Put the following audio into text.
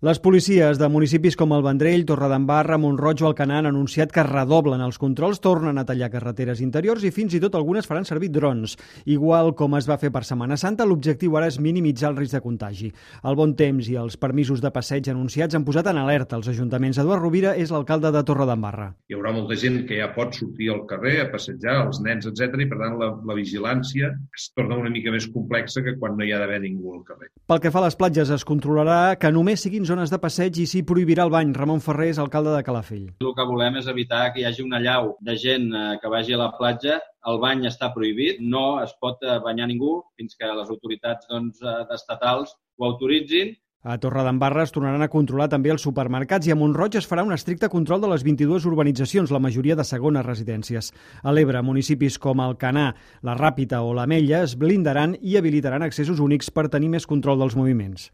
Les policies de municipis com el Vendrell, Torredembarra, Mont-roig o Alcanar han anunciat que redoblen els controls, tornen a tallar carreteres interiors i fins i tot algunes faran servir drons. Igual com es va fer per Setmana Santa, l'objectiu ara és minimitzar el risc de contagi. El bon temps i els permisos de passeig anunciats han posat en alerta els ajuntaments. Eduard Rovira és l'alcalde de Torredembarra. Hi haurà molta gent que ja pot sortir al carrer a passejar, els nens, etc. I per tant la vigilància es torna una mica més complexa que quan no hi ha d'haver ningú al carrer. Pel que fa a les platges, es controlarà que només siguin zones de passeig i s'hi prohibirà el bany. Ramon Ferrer és alcalde de Calafell. El que volem és evitar que hi hagi una allau de gent que vagi a la platja. El bany està prohibit, no es pot banyar ningú fins que les autoritats estatals ho autoritzin. A Torredembarra es tornaran a controlar també els supermercats i a Mont-roig es farà un estricte control de les 22 urbanitzacions, la majoria de segones residències. A l'Ebre, municipis com Alcanar, la Ràpita o l'Ametlla es blindaran i habilitaran accessos únics per tenir més control dels moviments.